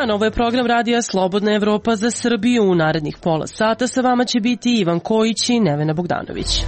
dan, ovo je program radija Slobodna Evropa za Srbiju. U narednih pola sata sa vama će biti Ivan Kojić i Nevena Bogdanović.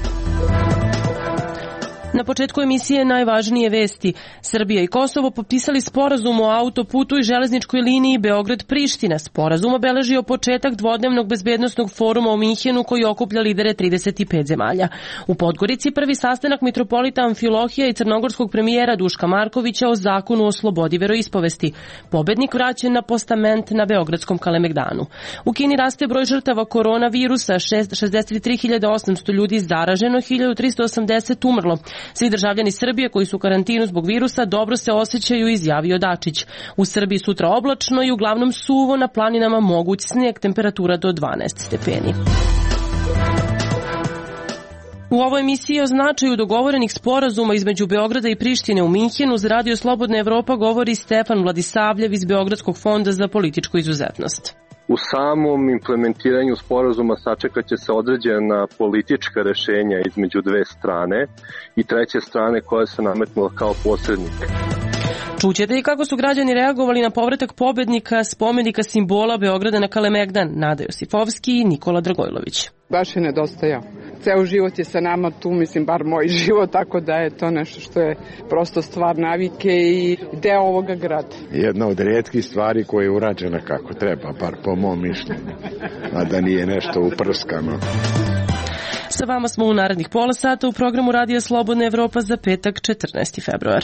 Na početku emisije najvažnije vesti. Srbija i Kosovo potpisali sporazum o autoputu i železničkoj liniji Beograd-Priština. Sporazum obeležio početak dvodnevnog bezbednosnog foruma u Minhenu koji okuplja lidere 35 zemalja. U Podgorici prvi sastanak mitropolita Amfilohija i crnogorskog premijera Duška Markovića o zakonu o slobodi veroispovesti. Pobednik vraćen na postament na Beogradskom Kalemegdanu. U Kini raste broj žrtava koronavirusa, 63.800 ljudi zaraženo, 1.380 umrlo. Svi državljani Srbije koji su u karantinu zbog virusa dobro se osjećaju, izjavio Dačić. U Srbiji sutra oblačno i uglavnom suvo, na planinama moguć snijeg, temperatura do 12 stepeni. U ovoj emisiji o značaju dogovorenih sporazuma između Beograda i Prištine u Minhenu za Radio Slobodna Evropa govori Stefan Vladisavljev iz Beogradskog fonda za političku izuzetnost. U samom implementiranju sporazuma sačekat će se određena politička rešenja između dve strane i treće strane koja se nametnula kao posrednik. Čućete i kako su građani reagovali na povratak pobednika spomenika simbola Beograda na Kalemegdan, Nada Josifovski i Nikola Dragojlović. Baš je nedostajao. Ceo život je sa nama tu, mislim, bar moj život, tako da je to nešto što je prosto stvar navike i deo ovoga grada. Jedna od rijetkih stvari koja je urađena kako treba, bar po mom mišljenju, a da nije nešto uprskano. Sa vama smo u narednih pola sata u programu Radija Slobodna Evropa za petak 14. februar.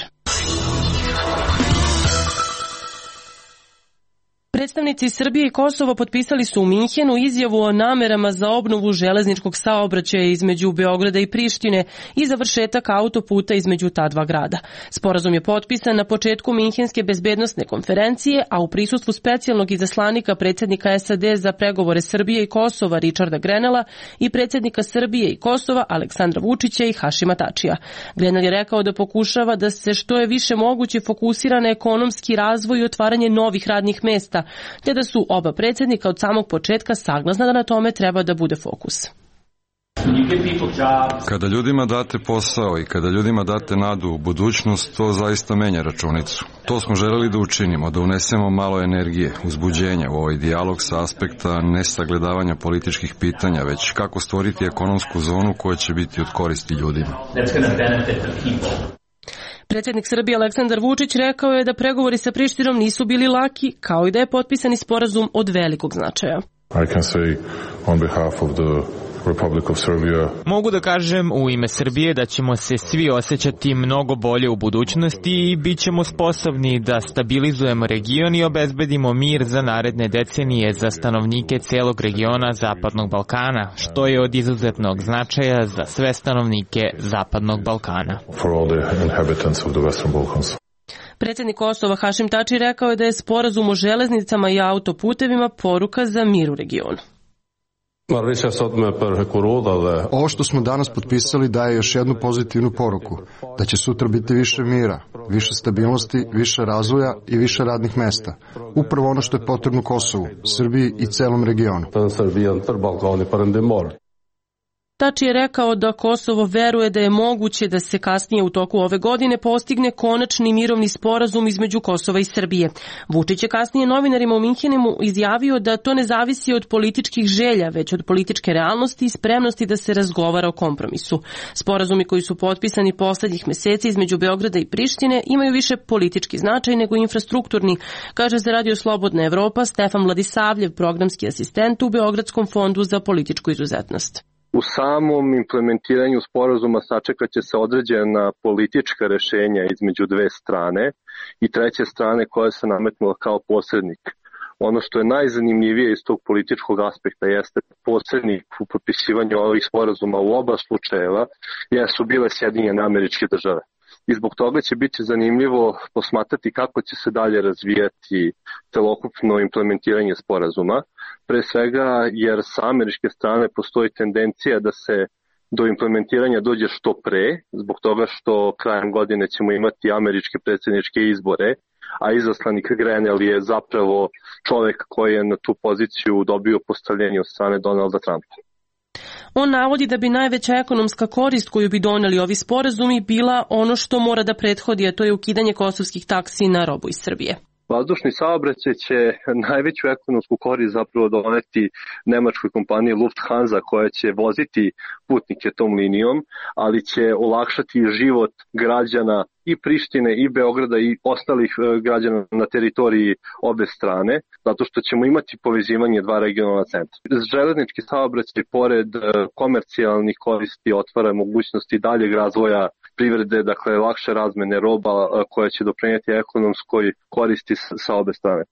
Predstavnici Srbije i Kosova potpisali su u Minhenu izjavu o namerama za obnovu železničkog saobraćaja između Beograda i Prištine i završetak autoputa između ta dva grada. Sporazum je potpisan na početku Minhenske bezbednosne konferencije, a u prisustvu specijalnog izaslanika predsjednika SAD za pregovore Srbije i Kosova Richarda Grenela i predsjednika Srbije i Kosova Aleksandra Vučića i Hašima Tačija. Grenel je rekao da pokušava da se što je više moguće fokusira na ekonomski razvoj i otvaranje novih radnih mesta, te da su oba predsjednika od samog početka saglasna da na tome treba da bude fokus. Kada ljudima date posao i kada ljudima date nadu u budućnost, to zaista menja računicu. To smo želeli da učinimo, da unesemo malo energije, uzbuđenja u ovaj dijalog sa aspekta nesagledavanja političkih pitanja, već kako stvoriti ekonomsku zonu koja će biti od koristi ljudima. Predsjednik Srbije Aleksandar Vučić rekao je da pregovori sa Prištinom nisu bili laki, kao i da je potpisani sporazum od velikog značaja. Mogu da kažem u ime Srbije da ćemo se svi osjećati mnogo bolje u budućnosti i bit ćemo sposobni da stabilizujemo region i obezbedimo mir za naredne decenije za stanovnike celog regiona Zapadnog Balkana, što je od izuzetnog značaja za sve stanovnike Zapadnog Balkana. Predsjednik Kosova Hašim Tači rekao je da je sporazum o železnicama i autoputevima poruka za mir u regionu. Ovo što smo danas potpisali daje još jednu pozitivnu poruku, da će sutra biti više mira, više stabilnosti, više razvoja i više radnih mesta. Upravo ono što je potrebno Kosovu, Srbiji i celom regionu. Tači je rekao da Kosovo veruje da je moguće da se kasnije u toku ove godine postigne konačni mirovni sporazum između Kosova i Srbije. Vučić je kasnije novinarima u Minhenu izjavio da to ne zavisi od političkih želja, već od političke realnosti i spremnosti da se razgovara o kompromisu. Sporazumi koji su potpisani poslednjih meseci između Beograda i Prištine imaju više politički značaj nego infrastrukturni, kaže za Radio Slobodna Evropa Stefan Vladisavljev, programski asistent u Beogradskom fondu za političku izuzetnost. U samom implementiranju sporazuma sačekat će se određena politička rešenja između dve strane i treće strane koja se nametnula kao posrednik. Ono što je najzanimljivije iz tog političkog aspekta jeste posrednik u potpisivanju ovih sporazuma u oba slučajeva jesu bile Sjedinjene Američke Države. I zbog toga će biti zanimljivo posmatrati kako će se dalje razvijati celokupno implementiranje sporazuma. Pre svega jer sa američke strane postoji tendencija da se do implementiranja dođe što pre, zbog toga što krajem godine ćemo imati američke predsjedničke izbore, a izaslanik Grenell je zapravo čovjek koji je na tu poziciju dobio postavljenje od strane Donalda Trumpa. On navodi da bi najveća ekonomska korist koju bi doneli ovi sporazumi bila ono što mora da prethodi, a to je ukidanje kosovskih taksi na robu iz Srbije. Vazdušni saobraćaj će najveću ekonomsku korist zapravo doneti nemačkoj kompaniji Lufthansa koja će voziti putnike tom linijom, ali će olakšati život građana i Prištine i Beograda i ostalih građana na teritoriji obe strane, zato što ćemo imati povezivanje dva regionalna centra. Železnički saobraćaj pored komercijalnih koristi otvara mogućnosti daljeg razvoja privrede, dakle lakše razmene roba koja će doprinijeti ekonomskoj koristi sa obe strane.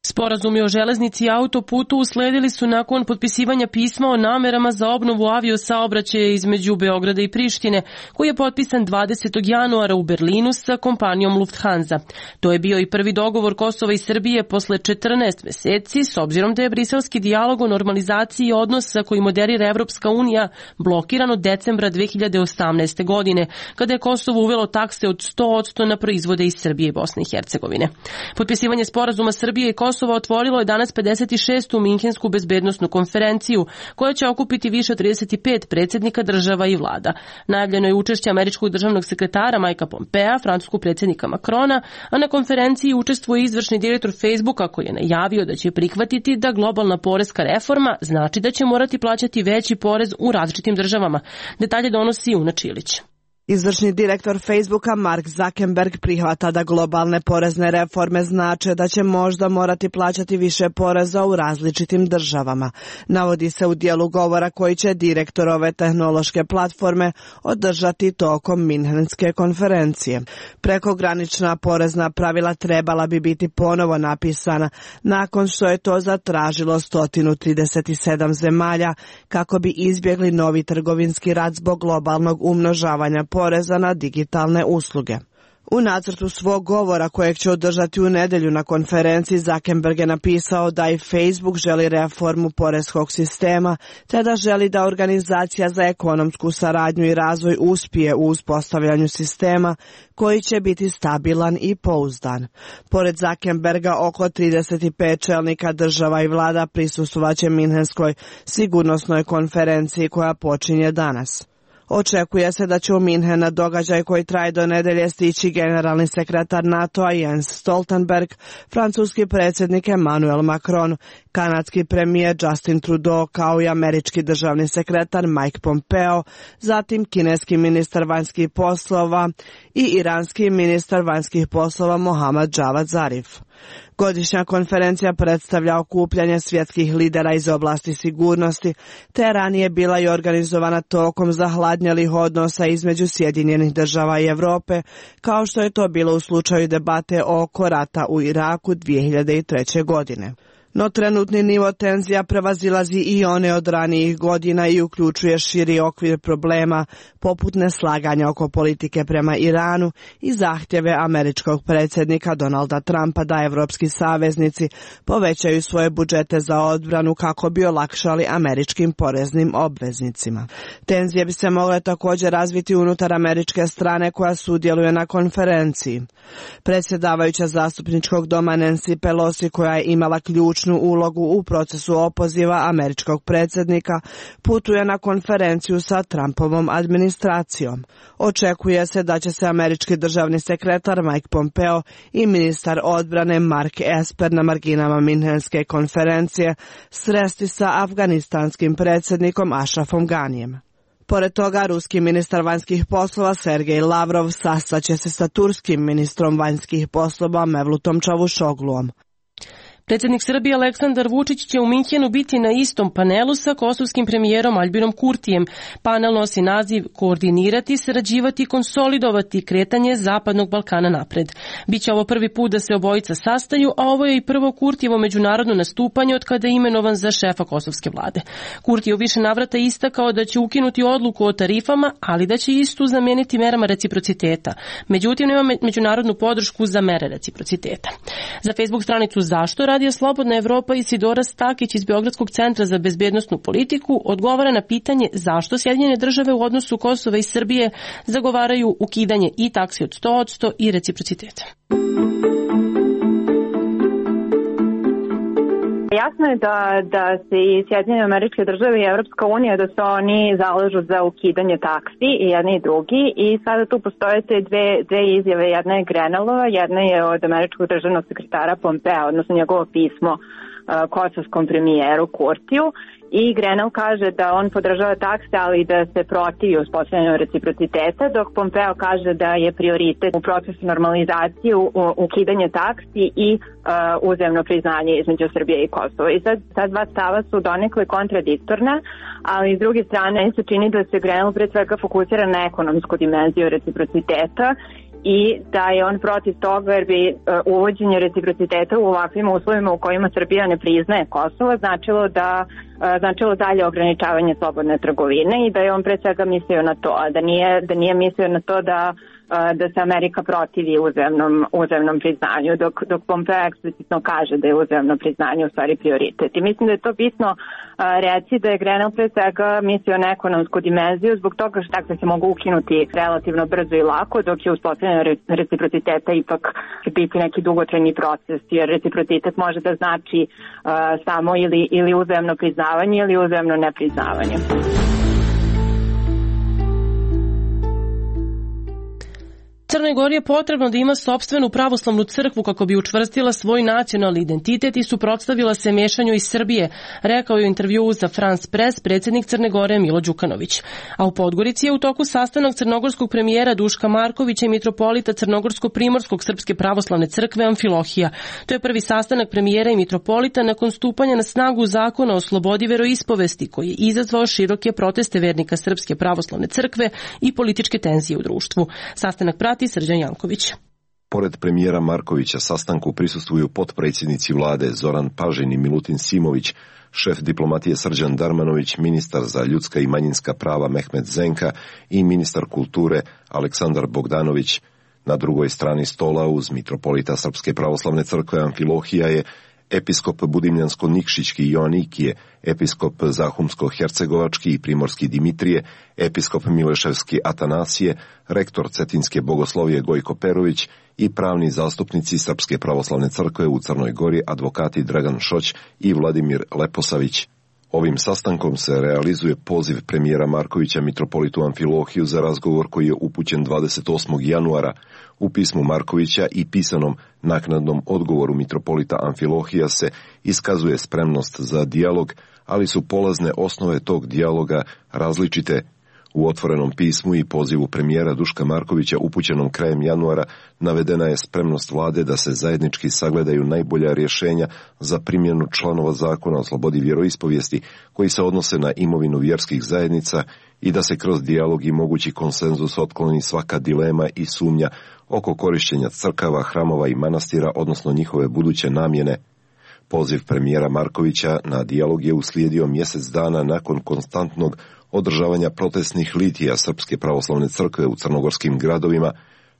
Sporazumi o železnici i autoputu usledili su nakon potpisivanja pisma o namerama za obnovu aviosaobraćaja između Beograda i Prištine, koji je potpisan 20. januara u Berlinu sa kompanijom Lufthansa. To je bio i prvi dogovor Kosova i Srbije posle 14 meseci, s obzirom da je briselski dijalog o normalizaciji odnosa koji moderira Evropska unija blokiran od decembra 2018. godine, kada je Kosovo uvelo takse od 100% na proizvode iz Srbije i Bosne i Hercegovine. Potpisivanje sporazuma Srbije i Kosova otvorilo je danas 56. Minhensku bezbednosnu konferenciju, koja će okupiti više od 35 predsjednika država i vlada. Najavljeno je učešće američkog državnog sekretara Mikea Pompea, francuskog predsjednika Macrona, a na konferenciji učestvuje izvršni direktor Facebooka koji je najavio da će prihvatiti da globalna poreska reforma znači da će morati plaćati veći porez u različitim državama. Detalje donosi Una Čilić. Izvršni direktor Facebooka Mark Zuckerberg prihvata da globalne porezne reforme znače da će možda morati plaćati više poreza u različitim državama. Navodi se u dijelu govora koji će direktor ove tehnološke platforme održati tokom Minhenske konferencije. Prekogranična porezna pravila trebala bi biti ponovo napisana nakon što je to zatražilo 137 zemalja kako bi izbjegli novi trgovinski rat zbog globalnog umnožavanja poreza na digitalne usluge. U nacrtu svog govora kojeg će održati u nedjelju na konferenciji Zuckerberg je napisao da i Facebook želi reformu poreskog sistema, te da želi da Organizacija za ekonomsku saradnju i razvoj uspije u uspostavljanju sistema koji će biti stabilan i pouzdan. Pored Zuckerberga oko 35 čelnika država i vlada prisustvovaće Minhenskoj sigurnosnoj konferenciji koja počinje danas. Očekuje se da će u Minhen na događaj koji traje do nedelje stići generalni sekretar NATO-a Jens Stoltenberg, francuski predsjednik Emmanuel Macron, kanadski premijer Justin Trudeau kao i američki državni sekretar Mike Pompeo, zatim kineski ministar vanjskih poslova i iranski ministar vanjskih poslova Mohammad Javad Zarif. Godišnja konferencija predstavlja okupljanje svjetskih lidera iz oblasti sigurnosti, te ranije bila i organizovana tokom zahladnjelih odnosa između Sjedinjenih država i Europe, kao što je to bilo u slučaju debate oko rata u Iraku 2003. godine. No trenutni nivo tenzija prevazilazi i one od ranijih godina i uključuje širi okvir problema poput neslaganja oko politike prema Iranu i zahtjeve američkog predsjednika Donalda Trumpa da evropski saveznici povećaju svoje budžete za odbranu kako bi olakšali američkim poreznim obveznicima. Tenzije bi se mogle također razviti unutar američke strane koja sudjeluje na konferenciji. Predsjedavajuća zastupničkog doma Nancy Pelosi, koja je imala ključnu ulogu u procesu opoziva američkog predsjednika, putuje na konferenciju sa Trumpovom administracijom. Očekuje se da će se američki državni sekretar Mike Pompeo i ministar odbrane Mark Esper na marginama Minhenske konferencije sresti sa afganistanskim predsjednikom Ashrafom Ganijem. Pored toga, ruski ministar vanjskih poslova Sergej Lavrov sastaće se sa turskim ministrom vanjskih poslova Mevlutom Čavuşogluom. Predsjednik Srbije Aleksandar Vučić će u Minhenu biti na istom panelu sa kosovskim premijerom Albinom Kurtijem. Panel nosi naziv Koordinirati, sarađivati i konsolidovati kretanje Zapadnog Balkana napred. Biće ovo prvi put da se obojica sastaju, a ovo je i prvo Kurtijevo međunarodno nastupanje od kada je imenovan za šefa kosovske vlade. Kurti je u više navrata istakao da će ukinuti odluku o tarifama, ali da će istu zamijeniti merama reciprociteta. Međutim, nema međunarodnu podršku za mere reciprociteta. Za Facebook stranicu Zašto Radio Slobodna Evropa Isidora Stakić iz Beogradskog centra za bezbednosnu politiku odgovara na pitanje zašto Sjedinjene države u odnosu Kosova i Srbije zagovaraju ukidanje i taksi od 100% i reciprociteta. Jasno je da se i Sjedinjene Američke Države i Evropska unija da se oni zalažu za ukidanje taksi i jedni i drugi i sada tu postoje te dve izjave, jedna je Grenellova, jedna je od američkog državnog sekretara Pompea, odnosno njegovo pismo kosovskom premijeru Kurtiju. I Grenell kaže da on podržava takse, ali da se protivi uspostavljanju reciprociteta, dok Pompeo kaže da je prioritet u procesu normalizacije ukidanje taksi i uzajamno priznanje između Srbije i Kosova. I sad ta dva stava su donekle kontradiktorna, ali s druge strane se čini da se Grenell pre svega fokusira na ekonomsku dimenziju reciprociteta i da je on protiv toga jer bi uvođenje reciprociteta u ovakvim uslovima u kojima Srbija ne priznaje Kosovo značilo dalje ograničavanje slobodne trgovine i da je on pre svega mislio na to, a da nije mislio na to da se Amerika protivi uzajamnom priznanju, dok Pompeo eksplicitno kaže da je uzajamno priznanje u stvari prioritet. I mislim da je to bitno reći da je Grenell pre svega mislio na ekonomsku dimenziju zbog toga što takve se mogu ukinuti relativno brzo i lako, dok je uspostavljanje reciprociteta ipak biti neki dugotrajni proces, jer reciprocitet može da znači samo ili uzajamno priznavanje ili uzajamno nepriznavanje. Crnoj Gori je potrebno da ima sopstvenu pravoslavnu crkvu kako bi učvrstila svoj nacionalni identitet i suprotstavila se mešanju iz Srbije, rekao je u intervjuu za France Press predsjednik Crne Gore Milo Đukanović. A u Podgorici je u toku sastanak crnogorskog premijera Duška Markovića i mitropolita Crnogorsko-primorskog Srpske pravoslavne crkve Amfilohija. To je prvi sastanak premijera i mitropolita nakon stupanja na snagu zakona o slobodi veroispovesti koji je izazvao široke proteste vernika Srpske pravoslavne crkve i političke tenzije u društvu. Sastanak prati Srđan Janković. Pored premijera Markovića sastanku prisustvuju potpredsjednici vlade Zoran Pažin i Milutin Simović, šef diplomatije Srđan Darmanović, ministar za ljudska i manjinska prava Mehmet Zenka i ministar kulture Aleksandar Bogdanović. Na drugoj strani stola uz mitropolita Srpske pravoslavne crkve Amfilohija je episkop Budimljansko-Nikšićki Joanikije, episkop Zahumsko-Hercegovački i Primorski Dimitrije, episkop Mileševski Atanasije, rektor Cetinske bogoslovije Gojko Perović i pravni zastupnici Srpske pravoslavne crkve u Crnoj Gori, advokati Dragan Šoć i Vladimir Leposavić. Ovim sastankom se realizuje poziv premijera Markovića mitropolitu Amfilohiju za razgovor koji je upućen 28. januara. U pismu Markovića i pisanom naknadnom odgovoru mitropolita Amfilohija se iskazuje spremnost za dijalog, ali su polazne osnove tog dijaloga različite. U otvorenom pismu i pozivu premijera Duška Markovića upućenom krajem januara navedena je spremnost vlade da se zajednički sagledaju najbolja rješenja za primjenu članova zakona o slobodi vjeroispovijesti koji se odnose na imovinu vjerskih zajednica i da se kroz dijalog i mogući konsenzus otkloni svaka dilema i sumnja oko korištenja crkava, hramova i manastira, odnosno njihove buduće namjene. Poziv premijera Markovića na dijalog je uslijedio mjesec dana nakon konstantnog održavanja protestnih litija Srpske pravoslavne crkve u crnogorskim gradovima,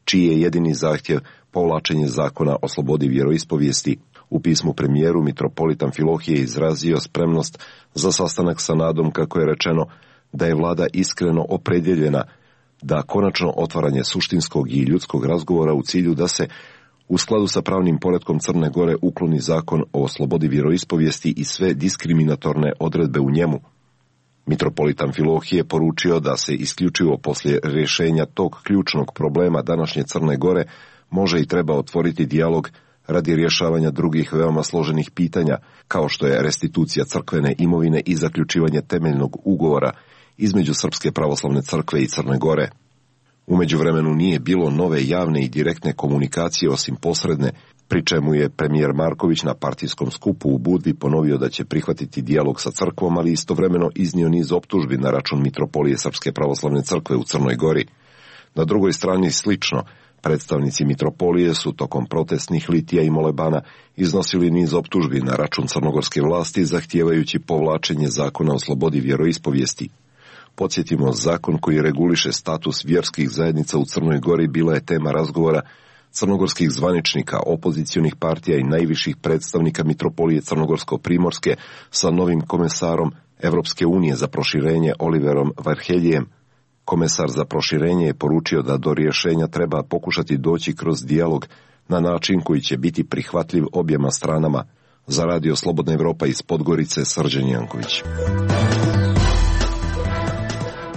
čiji je jedini zahtjev povlačenje zakona o slobodi vjeroispovijesti. U pismu premijeru mitropolit Amfilohije izrazio spremnost za sastanak sa nadom, kako je rečeno, da je vlada iskreno opredjeljena da konačno otvaranje suštinskog i ljudskog razgovora u cilju da se u skladu sa pravnim poretkom Crne Gore ukloni zakon o slobodi vjeroispovijesti i sve diskriminatorne odredbe u njemu. Mitropolit Amfilohije poručio da se isključivo poslije rješenja tog ključnog problema današnje Crne Gore može i treba otvoriti dijalog radi rješavanja drugih veoma složenih pitanja, kao što je restitucija crkvene imovine i zaključivanje temeljnog ugovora između Srpske pravoslavne crkve i Crne Gore. U međuvremenu nije bilo nove javne i direktne komunikacije osim posredne, pri čemu je premijer Marković na partijskom skupu u Budvi ponovio da će prihvatiti dijalog sa crkvom, ali istovremeno iznio niz optužbi na račun mitropolije Srpske pravoslavne crkve u Crnoj Gori. Na drugoj strani slično, predstavnici mitropolije su tokom protestnih litija i molebana iznosili niz optužbi na račun crnogorske vlasti, zahtijevajući povlačenje zakona o slobodi vjeroispovijesti. Podsjetimo, zakon koji reguliše status vjerskih zajednica u Crnoj Gori bila je tema razgovora crnogorskih zvaničnika, opozicionih partija i najviših predstavnika mitropolije Crnogorsko-primorske sa novim komesarom Evropske unije za proširenje Oliverom Varheljijem. Komesar za proširenje je poručio da do rješenja treba pokušati doći kroz dijalog na način koji će biti prihvatljiv objema stranama. Za radio Slobodna Evropa iz Podgorice, Srđan Janković.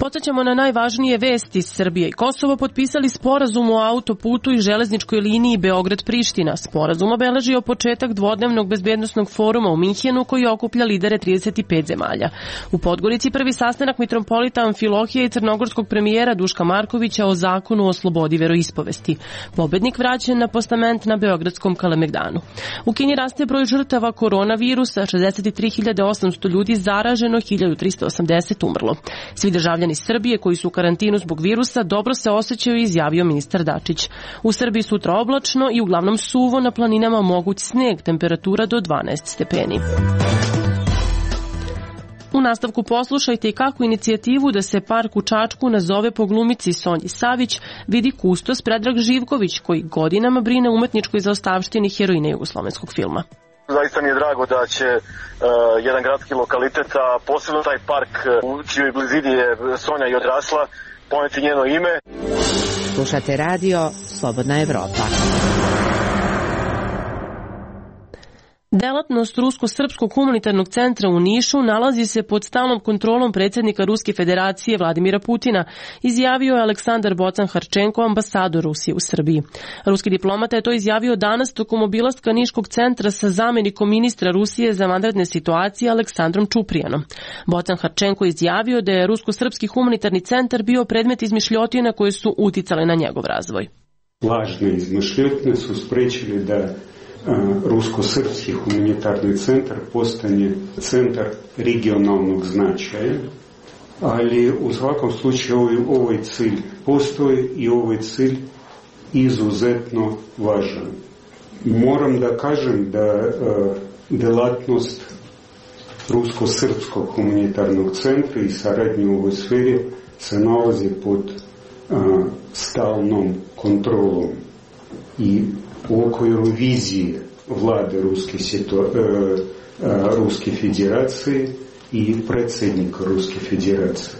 Podsećamo na najvažnije vesti. Srbija i Kosovo potpisali sporazum o autoputu i železničkoj liniji Beograd-Priština. Sporazum obeležio početak dvodnevnog bezbednosnog foruma u Minhenu koji okuplja lidere 35 zemalja. U Podgorici prvi sastanak mitropolita Amfilohija i crnogorskog premijera Duška Markovića o zakonu o slobodi veroispovesti. Pobednik vraćen na postament na Beogradskom Kalemegdanu. U Kini raste broj žrtava koronavirusa, 63.800 ljudi zaraženo, 1.380 umrlo. Svi državljani Srbije koji su u karantinu zbog virusa dobro se osjećaju, izjavio ministar Dačić. U Srbiji sutra oblačno i uglavnom suvo, na planinama moguć sneg, temperatura do 12 stepeni. U nastavku poslušajte i kako inicijativu da se park u Čačku nazove po glumici Sonji Savić vidi kustos Predrag Živković, koji godinama brine o umetničkoj zaostavštini heroine jugoslovenskog filma. Zaista mi je drago da će jedan gradski lokalitet, a posebno taj park u čijoj blizini je Sonja i odrasla, poneti njeno ime. Slušate radio Slobodna Evropa. Delatnost Rusko-srpskog humanitarnog centra u Nišu nalazi se pod stalnom kontrolom predsjednika Ruske federacije Vladimira Putina, izjavio je Aleksandar Bocan-Harčenko, ambasador Rusije u Srbiji. Ruski diplomata je to izjavio danas tokom obilaska Niškog centra sa zamjenikom ministra Rusije za vanredne situacije Aleksandrom Čuprijanom. Bocan-Harčenko izjavio da je Rusko-srpski humanitarni centar bio predmet izmišljotina koje su uticale na njegov razvoj. Lažne izmišljotine su sprečili da Rusko-srpski humanitarni centar postane centar regionalnog značaja, ali u svakom slučaju ovaj cilj postoji i ovaj cilj izuzetno važan. Moram da kažem da delatnost Rusko-srpskog humanitarnog centra i saradnje u ovoj sferi se nalazi pod stalnom kontrolom i u okviru vizije vlade Ruske federacije i predsjednika Ruske federacije.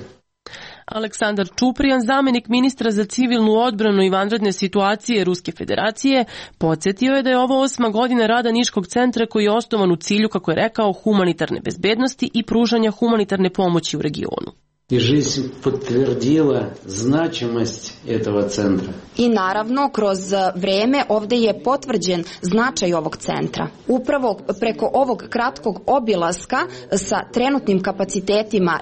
Aleksandar Čuprijan, zamjenik ministra za civilnu odbranu i vanredne situacije Ruske federacije, podsjetio je da je ovo 8. godina rada Niškog centra koji je osnovan u cilju, kako je rekao, humanitarne bezbednosti i pružanja humanitarne pomoći u regionu. I жизнь подтвердила значимость этого центра. I naravno, kroz vreme ovdje je potvrđen značaj ovog centra. Upravo preko ovog kratkog obilaska sa trenutnim kapacitetima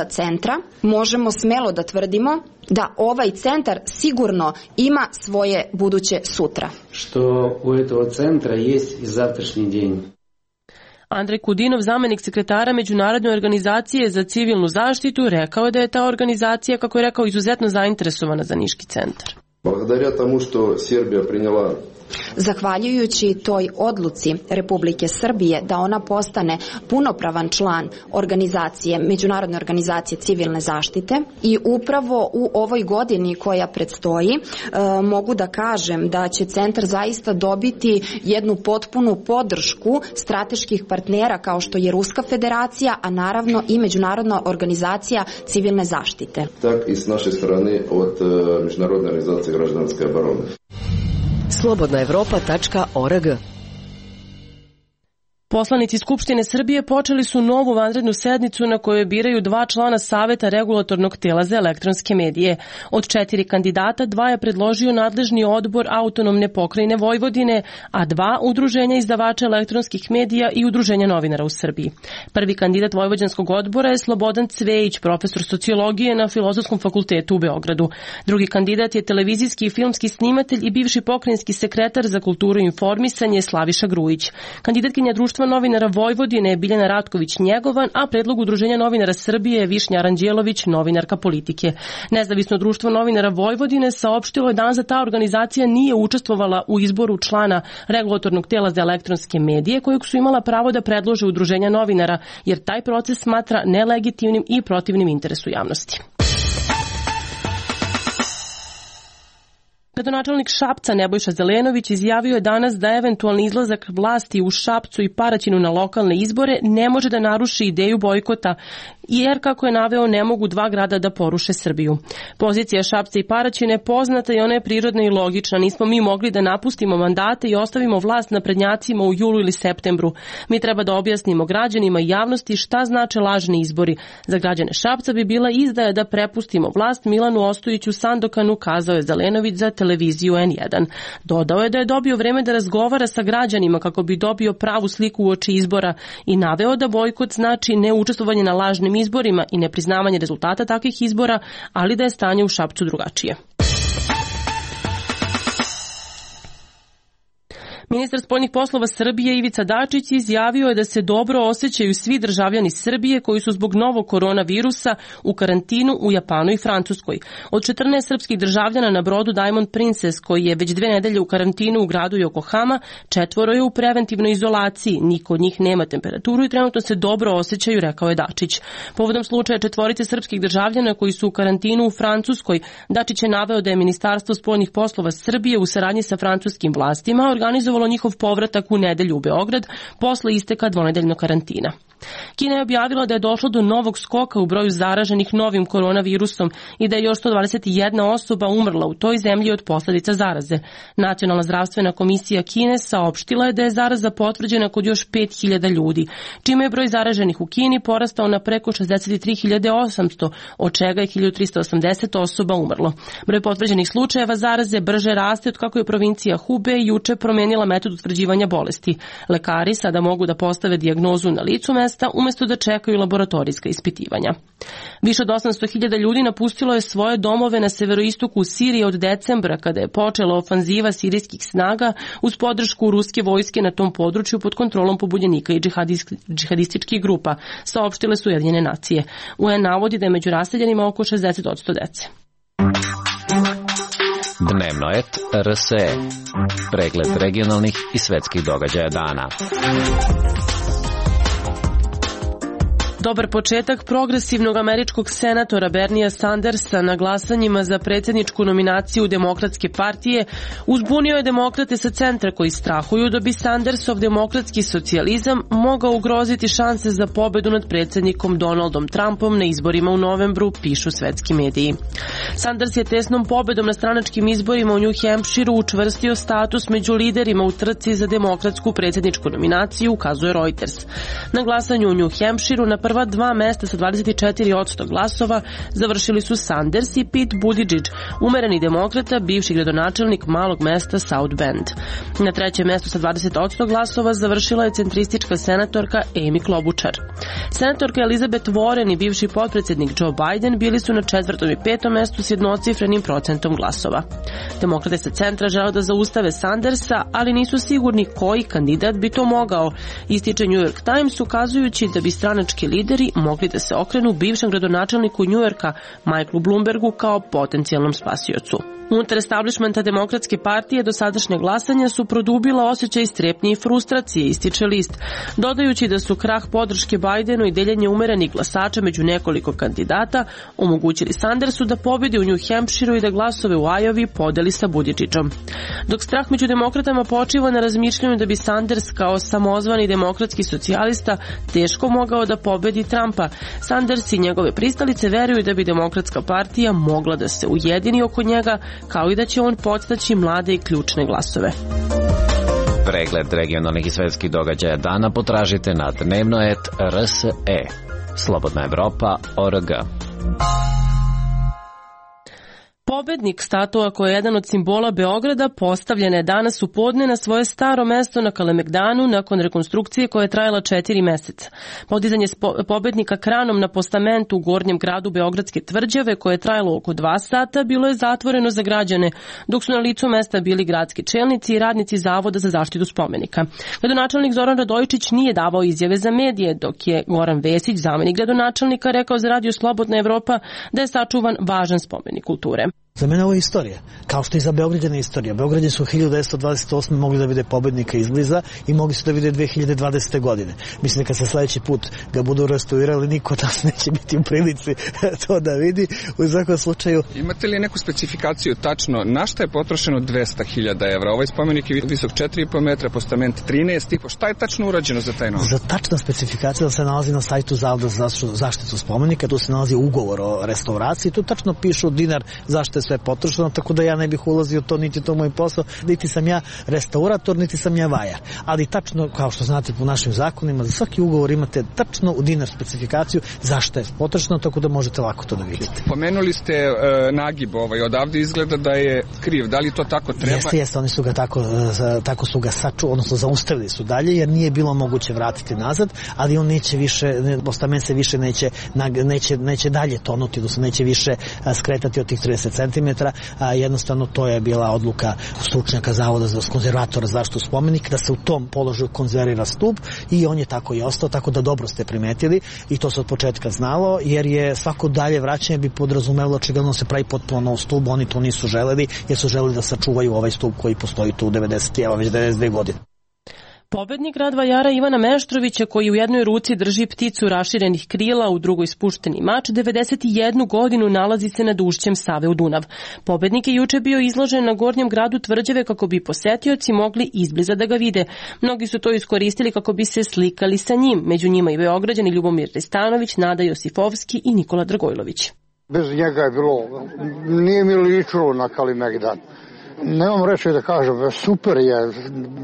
centra možemo smelo da tvrdimo da ovaj centar sigurno ima svoje buduće sutra. Što u этого centra jest i завтрашний день. Andrej Kudinov, zamjenik sekretara Međunarodne organizacije za civilnu zaštitu, rekao je da je ta organizacija, kako je rekao, izuzetno zainteresovana za Niški centar. Благодаря тому, što Srbija приняла. Zahvaljujući toj odluci Republike Srbije da ona postane punopravan član organizacije, Međunarodne organizacije civilne zaštite, i upravo u ovoj godini koja predstoji mogu da kažem da će centar zaista dobiti jednu potpunu podršku strateških partnera kao što je Ruska federacija, a naravno i Međunarodna organizacija civilne zaštite. Tak i s naše strane od Međunarodne organizacije građanske obrane. slobodnaevropa.org. Poslanici Skupštine Srbije počeli su novu vanrednu sednicu na kojoj biraju 2 člana Saveta regulatornog tela za elektronske medije. Od 4 kandidata 2 je predložio nadležni odbor Autonomne pokrajine Vojvodine, a 2 udruženja izdavača elektronskih medija i udruženja novinara u Srbiji. Prvi kandidat Vojvođanskog odbora je Slobodan Cvejić, profesor sociologije na Filozofskom fakultetu u Beogradu. Drugi kandidat je televizijski i filmski snimatelj i bivši pokrajinski sekretar za kulturu i informisanje Slaviša Grujić. Kandidatkinja Društva novinara Vojvodine je Biljana Ratković-Njegovan, a predlog Udruženja novinara Srbije je Višnja Aranđelović, novinarka politike. Nezavisno društvo novinara Vojvodine saopštilo je danas da ta organizacija nije učestvovala u izboru člana regulatornog tela za elektronske medije, kojeg su imala pravo da predlože Udruženja novinara, jer taj proces smatra nelegitimnim i protivnim interesu javnosti. Gradonačelnik Šapca Nebojša Zelenović izjavio je danas da eventualni izlazak vlasti u Šapcu i Paraćinu na lokalne izbore ne može da naruši ideju bojkota jer, kako je naveo, ne mogu dva grada da poruše Srbiju. Pozicija Šapca i Paraćina je poznata i ona je prirodna i logična. Nismo mi mogli da napustimo mandate i ostavimo vlast naprednjacima u julu ili septembru. Mi treba da objasnimo građanima i javnosti šta znače lažni izbori. Za građane Šapca bi bila izdaja da prepustimo vlast Milanu Ostojiću Sandokanu, kazao je Zelenović za televiziju N1. Dodao je da je dobio vreme da razgovara sa građanima kako bi dobio pravu sliku uoči izbora i naveo da bojkot znači neučestvovanje na lažnim izborima i nepriznavanje rezultata takvih izbora, ali da je stanje u Šapcu drugačije. Ministar spoljnih poslova Srbije Ivica Dačić izjavio je da se dobro osjećaju svi državljani Srbije koji su zbog novog koronavirusa u karantinu u Japanu i Francuskoj. Od 14 srpskih državljana na brodu Diamond Princess, koji je već 2 nedelje u karantinu u gradu Yokohama, 4 je u preventivnoj izolaciji. Niko od njih nema temperaturu i trenutno se dobro osjećaju, rekao je Dačić. Povodom slučaja 4 srpskih državljana koji su u karantinu u Francuskoj, Dačić je naveo da je Ministarstvo spoljnih poslova Srbije u saradnji sa francuskim vlastima organizovalo njihov povratak u nedelju u Beograd posle isteka 2-nedeljnog karantina. Kina je objavila da je došlo do novog skoka u broju zaraženih novim koronavirusom i da je još 121 osoba umrla u toj zemlji od posledica zaraze. Nacionalna zdravstvena komisija Kine saopštila je da je zaraza potvrđena kod još 5.000 ljudi, čime je broj zaraženih u Kini porastao na preko 63.800, od čega je 1.380 osoba umrlo. Broj potvrđenih slučajeva zaraze brže raste od kako je provincija Hubei juče promenila metod utvrđivanja bolesti. Lekari sada mogu da postave dijagnozu na licu mesta umesto da čekaju laboratorijska ispitivanja. Više od 800.000 ljudi napustilo je svoje domove na severoistoku Sirije od decembra, kada je počela ofanziva sirijskih snaga uz podršku ruske vojske na tom području pod kontrolom pobunjenika i džihadističkih grupa, saopštile su Ujedinjene nacije. UN navodi da je među raseljenima oko 60% dece. Dnevno et RSE. Pregled regionalnih i svetskih događaja dana. Dobar početak progresivnog američkog senatora Bernija Sandersa na glasanjima za predsjedničku nominaciju Demokratske partije uzbunio je demokrate sa centra koji strahuju da bi Sandersov demokratski socijalizam mogao ugroziti šanse za pobedu nad predsjednikom Donaldom Trumpom na izborima u novembru, pišu svetski mediji. Sanders je tesnom pobedom na stranačkim izborima u New Hampshireu učvrstio status među liderima u trci za demokratsku predsjedničku nominaciju, ukazuje Reuters. Na glasanju u New Hampshireu na prva 2 mesta sa 24% glasova završili su Sanders i Pete Buttigieg, umereni demokrata, bivši gradonačelnik malog mesta South Bend. Na 3. mestu sa 20% glasova završila je centristička senatorka Amy Klobuchar. Senatorka Elizabeth Warren i bivši potpredsjednik Joe Biden bili su na 4. i 5. mestu s jednocifrenim procentom glasova. Demokrate sa centra žele da zaustave Sandersa, ali nisu sigurni koji kandidat bi to mogao, ističe New York Times, ukazujući da bi stranački lideri mogli da se okrenu bivšem gradonačelniku Njujorka Michaelu Bloombergu kao potencijalnom spasiocu. Unutar establishmenta Demokratske partije dosadašnja glasanja su produbila osjećaj strepnje i frustracije, ističe list, dodajući da su krah podrške Bidenu i deljenje umerenih glasača među nekoliko kandidata omogućili Sandersu da pobedi u New Hampshireu i da glasove u Iowi podeli sa Buttigiegom. Dok strah među demokratama počiva na razmišljanju da bi Sanders kao samozvani demokratski socijalista teško mogao da pobedi Trumpa, Sanders i njegove pristalice veruju da bi Demokratska partija mogla da se ujedini oko njega, kao i da će on podstaći mlade i ključne glasove. Pregled regionalnih i svetskih događaja dana potražite na dnevno.rs.e. Slobodna Evropa.org. Pobednik statua koji je jedan od simbola Beograda postavljen je danas u podne na svoje staro mesto na Kalemegdanu nakon rekonstrukcije koja je trajala 4 meseca. Podizanje pobednika kranom na postamentu u gornjem gradu Beogradske tvrđave koje je trajalo oko 2 sata bilo je zatvoreno za građane, dok su na licu mesta bili gradski čelnici i radnici Zavoda za zaštitu spomenika. Gradonačelnik Zoran Radojičić nije davao izjave za medije, dok je Goran Vesić, zamenik gradonačelnika, rekao za radio Slobodna Evropa da je sačuvan važan spomenik kulture. Za mene ovo je istorija, kao što i za Beograđana je istorija. Beograđani su 1928. mogli da vide pobednika izbliza i mogli su da vide 2020. godine. Mislim da kad se sledeći put ga budu restaurirali, niko od nas neće biti u prilici to da vidi. U svakom slučaju... Imate li neku specifikaciju tačno na šta je potrošeno 200.000 evra? Ovaj spomenik je visok 4,5 metra, postament 13,5. Šta je tačno urađeno za taj novac? Za tačna specifikacija se nalazi na sajtu Zavoda za zaštitu spomenika, tu se nalazi ugovor o restauraciji, tu tačno pišu dinar zašto je sve potrošeno, tako da ja ne bih ulazio to, niti to moj posao, niti sam ja restaurator, niti sam ja vajar. Ali tačno, kao što znate po našim zakonima, za svaki ugovor imate tačno u dinar specifikaciju zašto je potrošeno, tako da možete lako to da vidite. Pomenuli ste nagib odavde izgleda da je kriv, da li to tako treba? Jeste, oni su ga tako su ga odnosno zaustavili su dalje, jer nije bilo moguće vratiti nazad, ali on neće više, postament se više neće dalje tonuti, da se neće više skretati od tih 30 cm, jednostavno to je bila odluka stručnjaka Zavoda za konzervatora za zaštitu spomenika, da se u tom položaju konzervira stup i on je tako i ostao, tako da dobro ste primetili i to se od početka znalo, jer je svako dalje vraćanje bi podrazumelo očigledno se pravi potpuno nov stup, oni to nisu želeli, jer su želeli da sačuvaju ovaj stup koji postoji tu 92 godine. Pobednik grad Vajara Ivana Meštrovića, koji u jednoj ruci drži pticu raširenih krila, u drugoj spušteni mač, 91 godinu nalazi se nad ušćem Save u Dunav. Pobednik je juče bio izložen na Gornjem gradu Tvrđave kako bi posetioci mogli izbliza da ga vide. Mnogi su to iskoristili kako bi se slikali sa njim, među njima i Beograđani Ljubomir Ristanović, Nada Josifovski i Nikola Dragojlović. Bez njega je bilo, nije mi ličilo na Kalemegdan. Nemam reći da kažem, super je,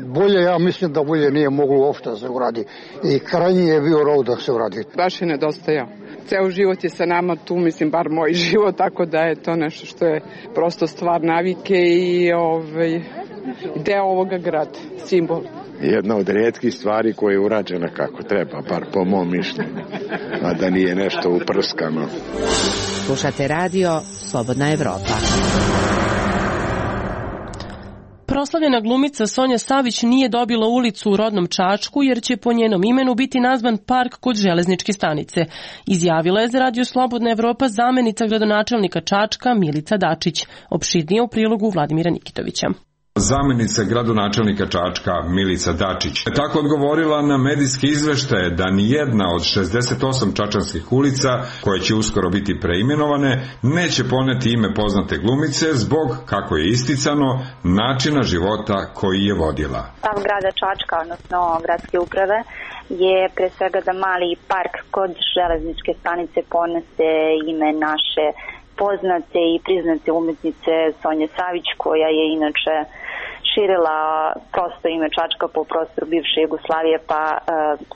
bolje, ja mislim da bolje nije moglo uopšte da se uradi i krajnji je bio rov da se uradi. Baš je nedostajao. Ceo život je sa nama tu, mislim, bar moj život, tako da je to nešto što je prosto stvar navike i deo ovoga grada, simbol. Jedna od rijetkih stvari koja je urađena kako treba, bar po mom mišljenju, a da nije nešto uprskano. Slušate radio Slobodna Evropa. Proslavljena glumica Sonja Savić nije dobila ulicu u rodnom Čačku jer će po njenom imenu biti nazvan park kod železničke stanice. Izjavila je za radio Slobodna Evropa zamenica gradonačelnika Čačka Milica Dačić. Opširnije u prilogu Vladimira Nikitovića. Zamenica gradonačelnika Čačka Milica Dačić je tako odgovorila na medijske izveštaje da ni jedna od 68 čačanskih ulica, koje će uskoro biti preimenovane, neće poneti ime poznate glumice zbog, kako je isticano, načina života koji je vodila. Stav grada Čačka, odnosno gradske uprave, je pre svega da mali park kod železničke stanice ponese ime naše poznate i priznate umetnice Sonje Savić, koja je inače širila prosto ime Čačka po prostoru bivše Jugoslavije, pa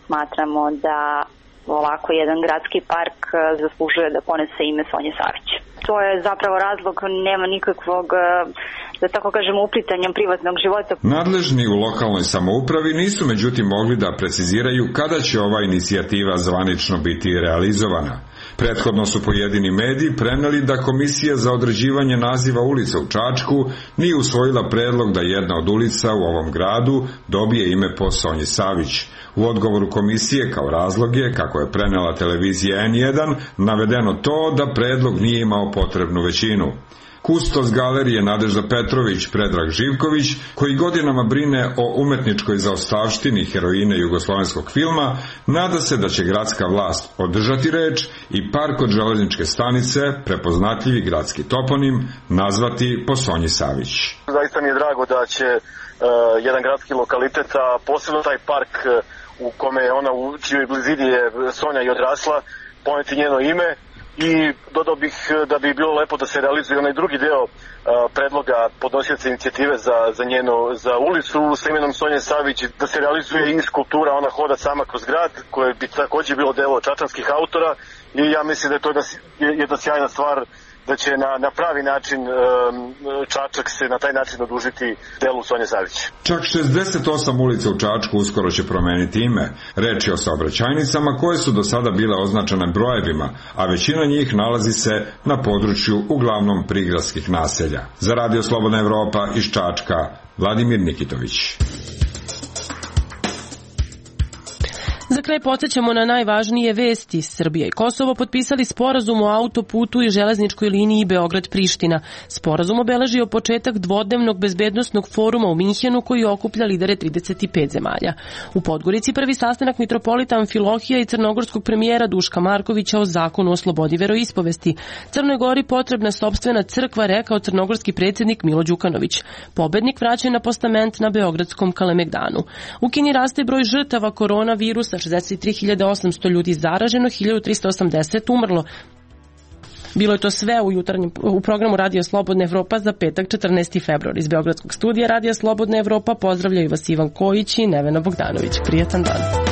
smatramo da ovako jedan gradski park zaslužuje da ponese ime Sonje Savić. To je zapravo razlog, nema nikakvog, da tako kažemo, uplitanja privatnog života. Nadležni u lokalnoj samoupravi nisu međutim mogli da preciziraju kada će ova inicijativa zvanično biti realizovana. Prethodno su pojedini mediji preneli da Komisija za određivanje naziva ulica u Čačku nije usvojila predlog da jedna od ulica u ovom gradu dobije ime po Sonji Savić. U odgovoru komisije kao razlog je, kako je prenela televizija N1, navedeno to da predlog nije imao potrebnu većinu. Kustos galerije Nadežda Petrović Predrag Živković, koji godinama brine o umetničkoj zaostavštini heroine jugoslovenskog filma, nada se da će gradska vlast održati reč i park od železničke stanice, prepoznatljivi gradski toponim, nazvati po Sonji Savić. Zaista mi je drago da će jedan gradski lokalitet, a posebno taj park u kome je ona, u čijoj blizini je Sonja i odrasla, poneti njeno ime. I dodao bih da bi bilo lepo da se realizuje onaj drugi deo predloga podnosioca inicijative za ulicu sa imenom Sonje Savić, da se realizuje i skulptura, ona hoda sama kroz grad, koje bi takođe bilo delo čačanskih autora, i ja mislim da je to jedna sjajna stvar, da će na pravi način Čačak se na taj način odužiti delu Sonje Savić. Čak 68 ulica u Čačku uskoro će promeniti ime. Reč je o saobraćajnicama koje su do sada bile označene brojevima, a većina njih nalazi se na području uglavnom prigradskih naselja. Za radio Slobodna Evropa iz Čačka, Vladimir Nikitović. za kraj podsjećamo na najvažnije vesti. Srbija i Kosovo potpisali sporazum o autoputu i železničkoj liniji Beograd-Priština. Sporazum obeležio početak dvodnevnog bezbednosnog foruma u Minhenu koji okuplja lidere 35 zemalja. U Podgorici prvi sastanak mitropolita Amfilohija i crnogorskog premijera Duška Markovića o zakonu o slobodi veroispovesti. Crnoj Gori potrebna sopstvena crkva, rekao crnogorski predsjednik Milo Đukanović. Pobednik vraća na postament na beogradskom Kalemegdanu. U Kini raste broj žrtava koronavirusa, 63.800 ljudi zaraženo, 1.380 umrlo. Bilo je to sve u programu Radio Slobodna Evropa za petak 14. februar. Iz Beogradskog studija Radio Slobodna Evropa pozdravljaju vas Ivan Kojić i Nevena Bogdanović. Prijatan dan.